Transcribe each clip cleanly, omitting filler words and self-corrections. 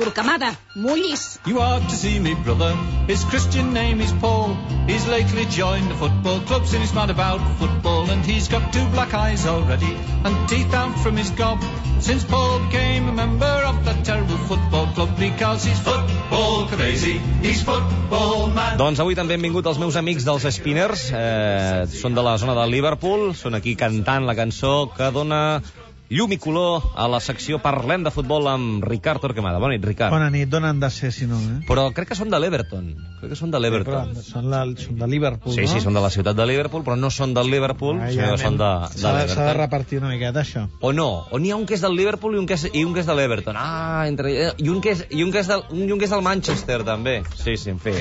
Torquemada, mullis. You are to see me brother, his Christian name is Paul. He's lately joined the football club, and he's mad about football. And he's got 2 black eyes already, and teeth out from his gob. Since Paul became a member of that terrible football club, because he's football crazy, he's football mad. Doncs avui també han vingut els meus amics dels Spinners, són de la zona de Liverpool, són aquí cantant la cançó que dona llum i color a la secció Parlem de Futbol amb Ricard Torquemada. Bona nit, Ricard. Bona nit, d'on han de ser, si no, Però crec que són de l'Everton. Són de l'Everton. Són de Liverpool, sí, no? Sí, són de la ciutat de Liverpool, però no són del Liverpool, sinó que són de l'Everton. S'ha de repartir una miqueta, això. O no, o n'hi ha un que és del Liverpool i un que és de l'Everton. I un que és del Manchester, també. Sí, en fi.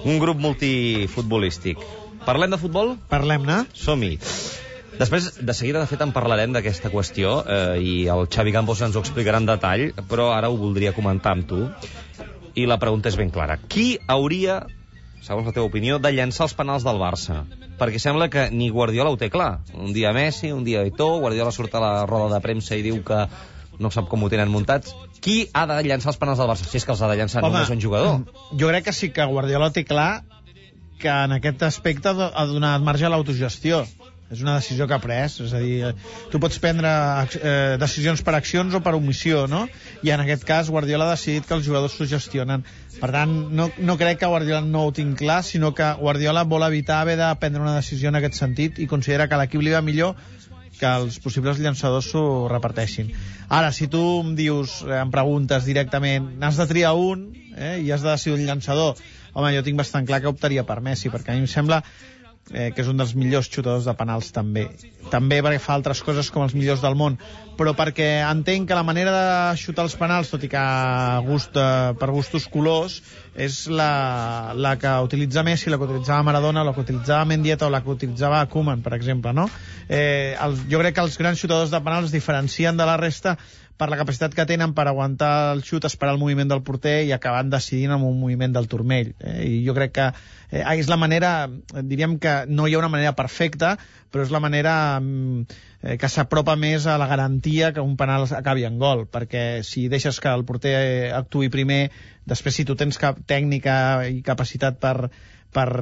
Un grup multifutbolístic. Parlem de futbol? Parlem-ne. Som-hi. Després, de seguida, de fet, en parlarem d'aquesta qüestió i el Xavi Campos ens ho explicarà en detall, però ara ho voldria comentar amb tu. I la pregunta és ben clara. Qui hauria, segons la teva opinió, de llançar els penals del Barça? Perquè sembla que ni Guardiola ho té clar. Un dia Messi, un dia Eto'o, Guardiola surt a la roda de premsa i diu que no sap com ho tenen muntats. Qui ha de llançar els penals del Barça? Si és que els ha de llançar només un jugador. Jo crec que sí que Guardiola té clar que en aquest aspecte ha donat marge a l'autogestió. És una decisió que ha pres, és a dir, tu pots prendre decisions per accions o per omissió, no? I en aquest cas Guardiola ha decidit que els jugadors s'ho gestionen. Per tant, no crec que Guardiola no ho tinc clar, sinó que Guardiola vol evitar haver de prendre una decisió en aquest sentit i considera que a l'equip li va millor que els possibles llançadors s'ho reparteixin. Ara, si tu em dius, em preguntes directament, n'has de triar un i has de decidir un llançador, home, jo tinc bastant clar que optaria per Messi, perquè a mi em sembla que és un dels millors xutadors de penals també perquè fa altres coses com els millors del món, però perquè entenc que la manera de xutar els penals, tot i que per gustos colors, és la que utilitza Messi, la que utilitzava Maradona, la que utilitzava Mendieta o la que utilitzava Koeman, per exemple, no? Jo crec que els grans xutadors de penals es diferencien de la resta per la capacitat que tenen per aguantar el xut, esperar el moviment del porter i acabar decidint amb un moviment del turmell. I jo crec que és la manera, diríem que no hi ha una manera perfecta, però és la manera que s'apropa més a la garantia que un penal acabi en gol, perquè si deixes que el porter actuï primer, després si tu tens tècnica i capacitat per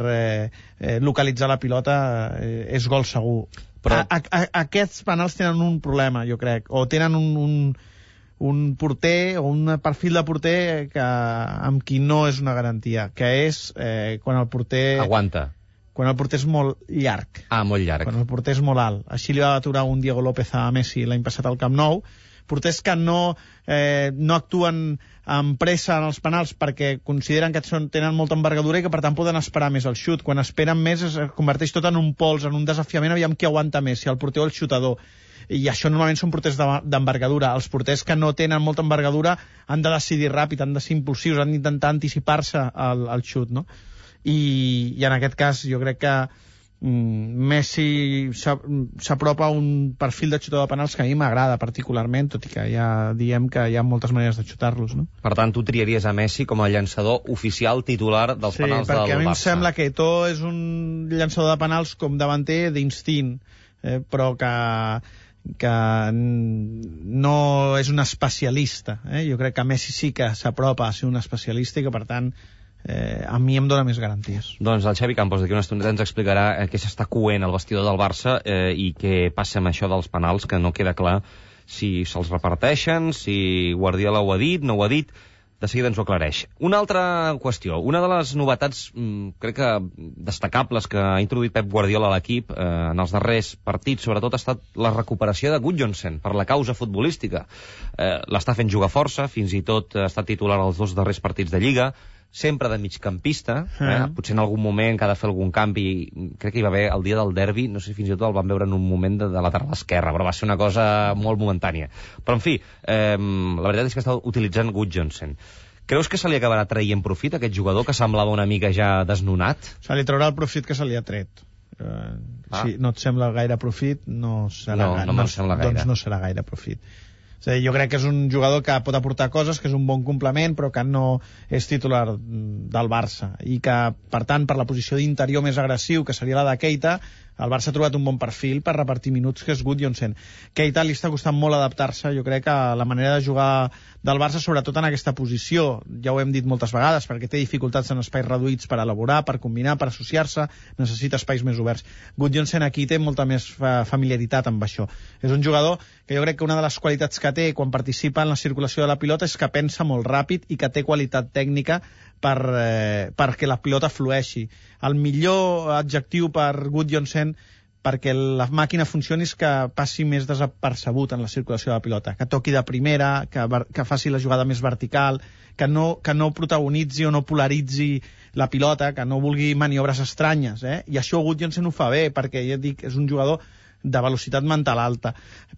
localitzar la pilota, és gol segur. Però aquests penals tenen un problema, jo crec, o tenen un porter o un perfil de porter amb qui no és una garantia, que és quan el porter aguanta, quan el porter és molt llarg. Molt llarg. Quan el porter és molt alt. Així li va aturar un Diego López a Messi l'any passat al Camp Nou. Porters que no actuen amb pressa en els penals perquè consideren que tenen molta envergadura i que per tant poden esperar més el xut. Quan esperen més es converteix tot en un pols, en un desafiament, aviam qui aguanta més, si el porter o el xutador. I això normalment són porters d'envergadura. Els porters que no tenen molta envergadura han de decidir ràpid, han de ser impulsius, han d'intentar anticipar-se al xut, no? I en aquest cas jo crec que Messi s'apropa a un perfil de xutador de penals que a mi m'agrada particularment, tot i que ja diem que hi ha moltes maneres de xutar-los, no? Per tant, tu triaries a Messi com a llançador oficial titular dels penals del Barça. Sí, perquè a mi em sembla que Eto'o és un llançador de penals com davanter d'instint, però que no és un especialista. Jo crec que Messi sí que s'apropa a ser un especialista i que, per tant, a mi em dóna més garanties. Doncs el Xavi Campos d'aquí una estoneta ens explicarà què s'està coent al vestidor del Barça i què passa amb això dels penals, que no queda clar si se'ls reparteixen, si Guardiola ho ha dit, no ho ha dit. De seguida ens ho aclareix. Una altra qüestió, una de les novetats crec que destacables que ha introduït Pep Guardiola a l'equip en els darrers partits, sobretot ha estat la recuperació de Gudjohnsen per la causa futbolística. L'està fent jugar força, fins i tot ha estat titular als 2 darrers partits de Lliga, sempre de migcampista, potser en algun moment que ha de fer algun canvi, crec que hi va haver el dia del derbi, no sé si fins i tot el van veure en un moment de lateral esquerra, però va ser una cosa molt momentània. Però en fi, la veritat és que està utilitzant Gudjohnsen. Creus que se li acabarà traient profit a aquest jugador que semblava una mica ja desnonat? Se li traurà el profit que se li ha tret. Si no et sembla gaire profit, no serà doncs no serà gaire profit. És a dir, jo crec que és un jugador que pot aportar coses, que és un bon complement, però que no és titular del Barça, i que, per tant, per la posició d'interior més agressiu, que seria la de Keita, El Barça ha trobat un bon perfil per repartir minuts, que és Gudjohnsen. Keita li està costant molt adaptar-se, jo crec que la manera de jugar del Barça, sobretot en aquesta posició, ja ho hem dit moltes vegades, perquè té dificultats en espais reduïts per elaborar, per combinar, per associar-se, necessita espais més oberts. Gudjohnsen aquí té molta més familiaritat amb això. És un jugador que jo crec que una de les qualitats que té quan participa en la circulació de la pilota és que pensa molt ràpid i que té qualitat tècnica perquè la pilota flueixi. El millor adjectiu per Gudjohnsen perquè la màquina funcioni és que passi més desapercebut en la circulació de la pilota, que toqui de primera, que faci la jugada més vertical, que no protagonitzi o no polaritzi la pilota, que no vulgui maniobres estranyes, i això Gudjohnsen ho fa bé, perquè ja dic, és un jugador de velocitat mental alta,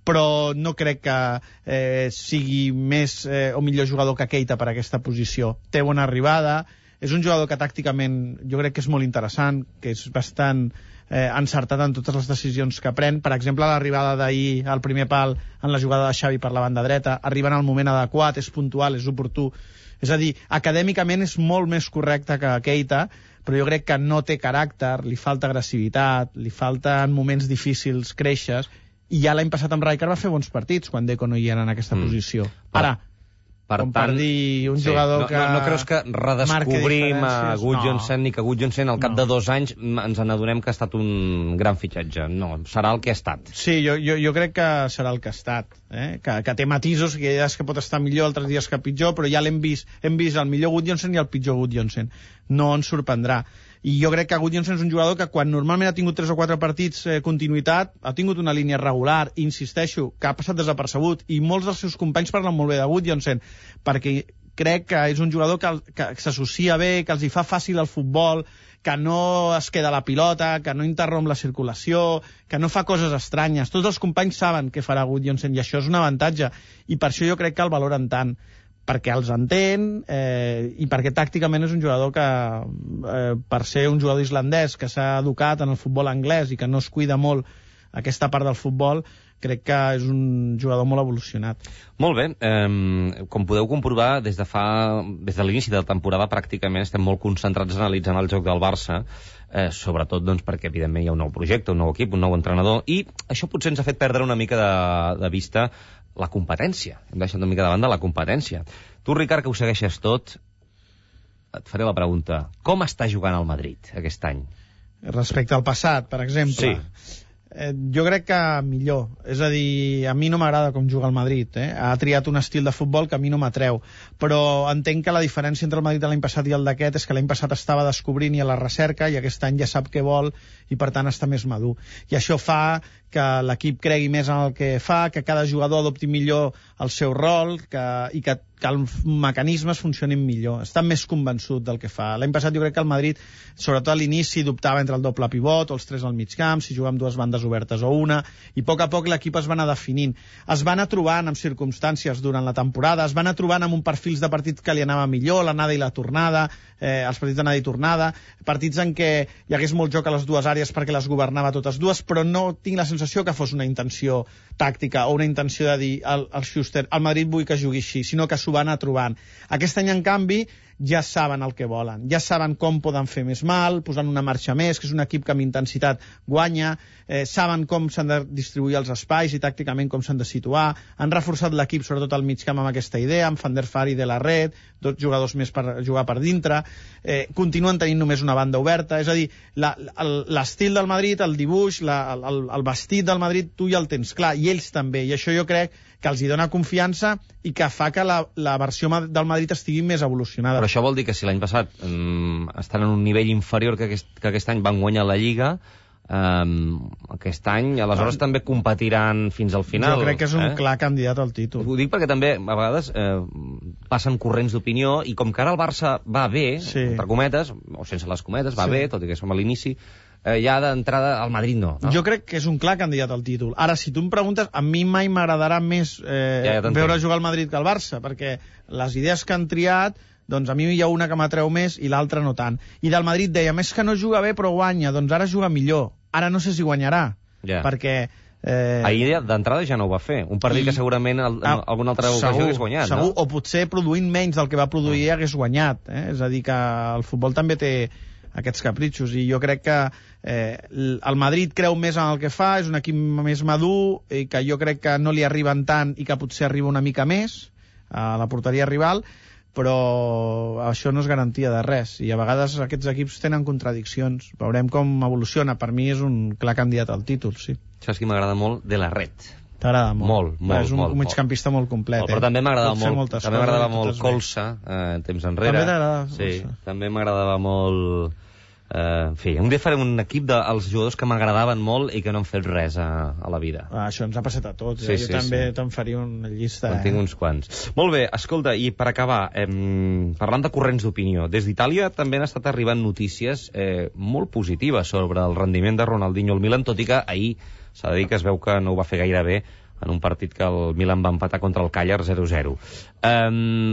però no crec que sigui més o millor jugador que Keita per aquesta posició. Té bona arribada, és un jugador que tàcticament jo crec que és molt interessant, que és bastant encertat en totes les decisions que pren. Per exemple, l'arribada d'ahir al primer pal en la jugada de Xavi per la banda dreta, arriba en el moment adequat, és puntual, és oportú. És a dir, acadèmicament és molt més correcte que Keita, però jo crec que no té caràcter, li falta agressivitat, li falta en moments difícils créixer, i ja l'any passat amb Rijkaard va fer bons partits quan Deco no hi era en aquesta posició. Ara, com per dir un jugador que... No creus que redescobrim a Gudjohnsen ni que Gudjohnsen al cap de 2 anys ens n'adonem que ha estat un gran fitxatge? No, serà el que ha estat. Sí, jo crec que serà el que ha estat, que té matisos, que hi ha dies que pot estar millor, altres dies que pitjor, però ja l'hem vist el millor Gudjohnsen i el pitjor Gudjohnsen. No ens sorprendrà. I jo crec que Gudjohnsen és un jugador que quan normalment ha tingut 3 o 4 partits continuïtat, ha tingut una línia regular, i insisteixo, que ha passat desapercebut, i molts dels seus companys parlen molt bé de Gudjohnsen, perquè crec que és un jugador que s'associa bé, que els hi fa fàcil el futbol, que no es queda la pilota, que no interromp la circulació, que no fa coses estranyes. Tots els companys saben què farà Gudjohnsen, i això és un avantatge, i per això jo crec que el valoren tant, perquè els entén i perquè tàcticament és un jugador que, per ser un jugador islandès que s'ha educat en el futbol anglès i que no es cuida molt aquesta part del futbol, crec que és un jugador molt evolucionat. Molt bé, com podeu comprovar, des de l'inici de la temporada pràcticament estem molt concentrats analitzant el joc del Barça, sobretot doncs, perquè evidentment hi ha un nou projecte, un nou equip, un nou entrenador, i això potser ens ha fet perdre una mica de vista la competència. Hem deixat una mica de banda la competència. Tu, Ricard, que ho segueixes tot, et faré la pregunta. Com està jugant el Madrid aquest any? Respecte al passat, per exemple? Sí. Jo crec que millor. És a dir, a mi no m'agrada com juga el Madrid. Ha triat un estil de futbol que a mi no m'atreu. Però entenc que la diferència entre el Madrid de l'any passat i el d'aquest és que l'any passat estava descobrint i a la recerca, i aquest any ja sap què vol i per tant està més madur. I això fa que l'equip cregui més en el que fa, que cada jugador adopti millor el seu rol i que els mecanismes funcionin millor. Està més convençut del que fa. L'any passat jo crec que el Madrid, sobretot a l'inici, dubtava entre el doble pivot o els 3 al mig camp, si jugava amb 2 bandes obertes o una, i a poc l'equip es va anar definint. Es va anar trobant amb circumstàncies durant la temporada, es va anar trobant amb un perfils de partits que li anava millor, l'anada i la tornada, els partits d'anada i tornada, partits en què hi hagués molt joc a les dues àrees perquè les governava totes dues, però no tinc la sensació que fos una intenció tàctica o una intenció de dir al Schuster, al Madrid vull que jugui així, sinó que s'ho va anar trobant. Aquest any, en canvi, ja saben el que volen, ja saben com poden fer més mal, posant una marxa més, que és un equip que amb intensitat guanya, saben com s'han de distribuir els espais i tàcticament com s'han de situar, han reforçat l'equip, sobretot al mig camp, amb aquesta idea, amb Van der Vaart i De La Red, 2 jugadors més per jugar per dintre, continuen tenint només una banda oberta, és a dir, l'estil del Madrid, el dibuix, el vestit del Madrid, tu ja el tens clar, i ells també, i això jo crec que els hi dona confiança i que fa que la versió del Madrid estigui més evolucionada. Però això vol dir que si l'any passat estan en un nivell inferior que aquest any van guanyar la Lliga, aquest any aleshores també competiran fins al final. Jo crec que és un clar candidat al títol. Ho dic perquè també a vegades passen corrents d'opinió, i com que ara el Barça va bé, entre cometes, o sense les cometes, va bé, tot i que som a l'inici, ja d'entrada al Madrid no. Jo crec que és un clar candidat al títol. Ara, si tu em preguntes, a mi mai m'agradarà més veure jugar el Madrid que el Barça, perquè les idees que han triat, doncs a mi hi ha una que m'atreu més i l'altra no tant. I del Madrid deia, més que no juga bé però guanya, doncs ara juga millor. Ara no sé si guanyarà, perquè... Ahir d'entrada ja no ho va fer. Un partit que segurament alguna altra ocasió hagués guanyat, segur, no? O potser produint menys del que va produir hagués guanyat. És a dir, que el futbol també té aquests capritxos, i jo crec que el Madrid creu més en el que fa, és un equip més madur, i que jo crec que no li arriben tant i que potser arriba una mica més a la porteria rival, però això no és garantia de res, i a vegades aquests equips tenen contradiccions. Veurem com evoluciona. Per mi és un clar candidat al títol, sí. Saps qui m'agrada molt? De la Red. T'agrada molt? Molt, és un migcampista molt complet. Però també m'agradava molt Colsa, temps enrere. També t'agradava Colsa? Sí, també m'agradava molt... En fi, un dia farem un equip dels jugadors que m'agradaven molt i que no han fet res a la vida. Això ens ha passat a tots. Jo també te'n faria una llista. En tinc uns quants. Molt bé, escolta, i per acabar, parlant de corrents d'opinió, des d'Itàlia també han estat arribant notícies molt positives sobre el rendiment de Ronaldinho al Milan, tot i que ahir s'ha de dir que es veu que no ho va fer gaire bé en un partit que el Milan va empatar contra el Càller 0-0.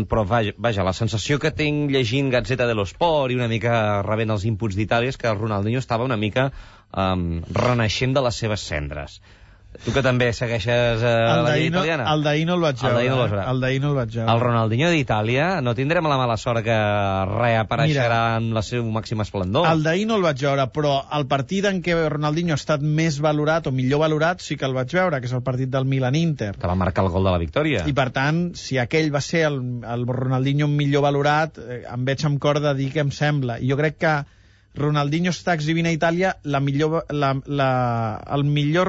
Però vaja, la sensació que tinc llegint Gazzetta dello Sport i una mica rebent els inputs d'Itàlia és que el Ronaldinho estava una mica renaixent de les seves cendres. Tu que també segueixes la lliga italiana? El d'ahir no el vaig veure. El d'ahir no el vaig veure. El Ronaldinho d'Itàlia, no tindrem la mala sort que reapareixerà en la seu màxim esplendor. El d'ahir no el vaig veure, però el partit en què Ronaldinho ha estat més valorat o millor valorat sí que el vaig veure, que és el partit del Milan-Inter. Que va marcar el gol de la victòria. I per tant, si aquell va ser el Ronaldinho millor valorat, em veig amb cor de dir que em sembla. I jo crec que Ronaldinho està exhibint a Itàlia el millor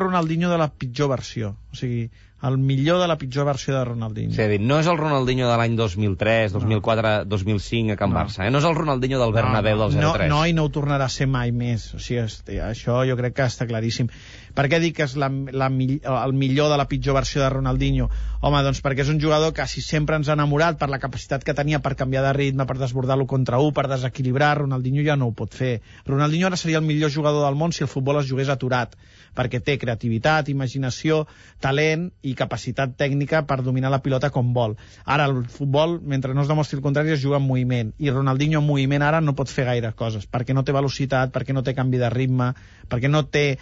Ronaldinho de la pitjor versió. O sigui, el millor de la pitjor versió de Ronaldinho. És a dir, no és el Ronaldinho de l'any 2003, 2004, 2005 a Can Barça, No és el Ronaldinho del Bernabéu del 03. No, i no ho tornarà a ser mai més. O sigui, això jo crec que està claríssim. Per què dic que és el millor de la pitjor versió de Ronaldinho? Home, doncs perquè és un jugador que si sempre ens ha enamorat per la capacitat que tenia per canviar de ritme, per desbordar-lo contra un, per desequilibrar, Ronaldinho ja no ho pot fer. Ronaldinho ara seria el millor jugador del món si el futbol es jugués aturat, perquè té creativitat, imaginació, talent i capacitat tècnica per dominar la pilota com vol. Ara el futbol, mentre no es demostri el contrari, es juga en moviment, i Ronaldinho en moviment ara no pot fer gaire coses, perquè no té velocitat, perquè no té canvi de ritme, perquè no té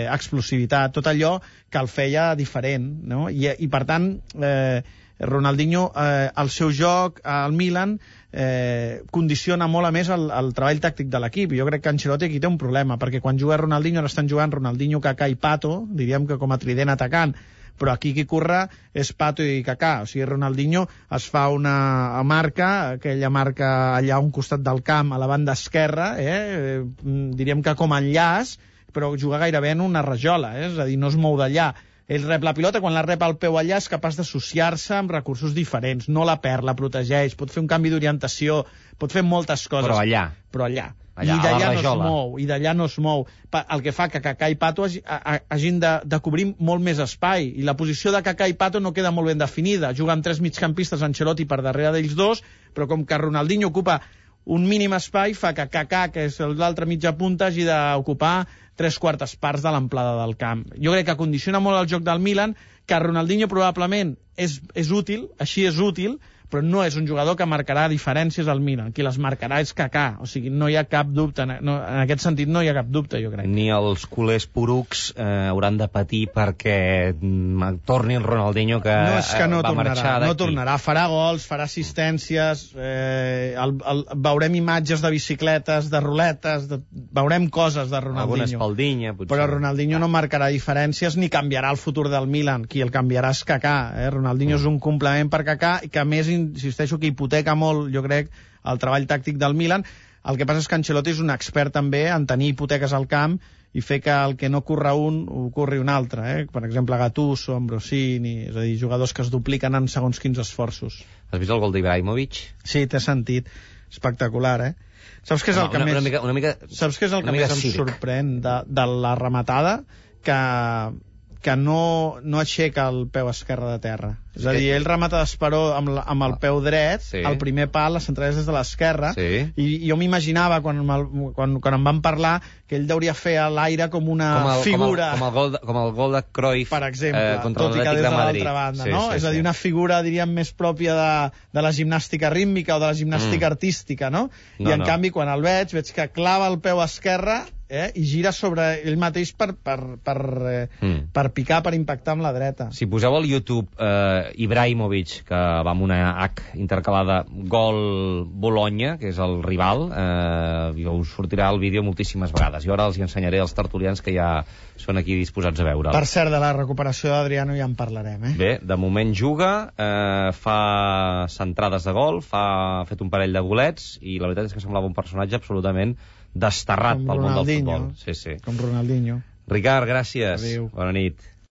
explosivitat, tot allò que el feia diferent, no? I per tant Ronaldinho, el seu joc al Milan condiciona molt a més el treball tàctic de l'equip. Jo crec que Ancelotti aquí té un problema, perquè quan juga Ronaldinho ara estan jugant Ronaldinho, Kaká i Pato, diríem que com a trident atacant, però aquí qui corre és Pato i Kaká. O sigui, Ronaldinho es fa una marca, aquella marca allà a un costat del camp, a la banda esquerra, diríem que com a enllaç, però juga gairebé en una rajola, és a dir, no es mou d'allà. Ell rep la pilota, quan la rep al peu allà és capaç d'associar-se amb recursos diferents, no la perd, la protegeix, pot fer un canvi d'orientació, pot fer moltes coses. Però allà. I d'allà no es mou, i d'allà no es mou. El que fa que Kaká i Pato hagin de cobrir molt més espai, i la posició de Kaká i Pato no queda molt ben definida. Juga amb 3 migcampistes, Ancelotti per darrere d'ells dos, però com que Ronaldinho ocupa un mínim espai, fa que Kaká, que és l'altra mitja punta, hagi d'ocupar 3/4 parts de l'amplada del camp. Jo crec que condiciona molt el joc del Milan, que Ronaldinho probablement és útil, així és útil, però no és un jugador que marcarà diferències al Milan. Qui les marcarà és Kaká, o sigui, no hi ha cap dubte, en aquest sentit no hi ha cap dubte, jo crec. Ni els culers porucs hauran de patir perquè torni el Ronaldinho que va marxar d'aquí. No tornarà, farà gols, farà assistències, veurem imatges de bicicletes, de ruletes, veurem coses de Ronaldinho. Alguna espaldinya, potser. Però Ronaldinho no marcarà diferències ni canviarà el futur del Milan. Qui el canviarà és Kaká. Ronaldinho és un complement per Kaká, i que a més insisteixo que hipoteca molt, jo crec, el treball tàctic del Milan. El que passa és que Ancelotti és un expert també en tenir hipoteques al camp i fer que el que no corre un ho corri un altre, Per exemple, Gattuso, Ambrosini, és a dir, jugadors que es dupliquen en segons quins esforços. Has vist el gol d'Ibrahimovic? Sí, t'he sentit. Espectacular, Saps què és el que més em sorprèn de la rematada? Que no aixeca el peu esquerre de terra. És a dir, ell remata d'esperó amb el peu dret, el primer pal, la centrada és des de l'esquerra, i jo m'imaginava, quan em van parlar, que ell deuria fer a l'aire com una figura... Com el gol de Cruyff, per exemple, contra l'Atlètic de Madrid. Banda, no? És a dir, una figura, diríem, més pròpia de la gimnàstica rítmica o de la gimnàstica artística, no? I en canvi, quan el veig que clava el peu esquerre i gira sobre ell mateix per picar, per impactar amb la dreta. Si poseu al YouTube Ibrahimovic, que va amb una H intercalada, gol Bologna, que és el rival, us sortirà el vídeo moltíssimes vegades. I ara els hi ensenyaré als tertulians que ja són aquí disposats a veure'l. Per cert, de la recuperació d'Adriano ja en parlarem, Bé, de moment juga, fa centrades de gol, ha fet un parell de golets, i la veritat és que semblava un personatge absolutament desterrat pel món del futbol. Com Ronaldinho. Ricard, gràcies. Adéu. Bona nit.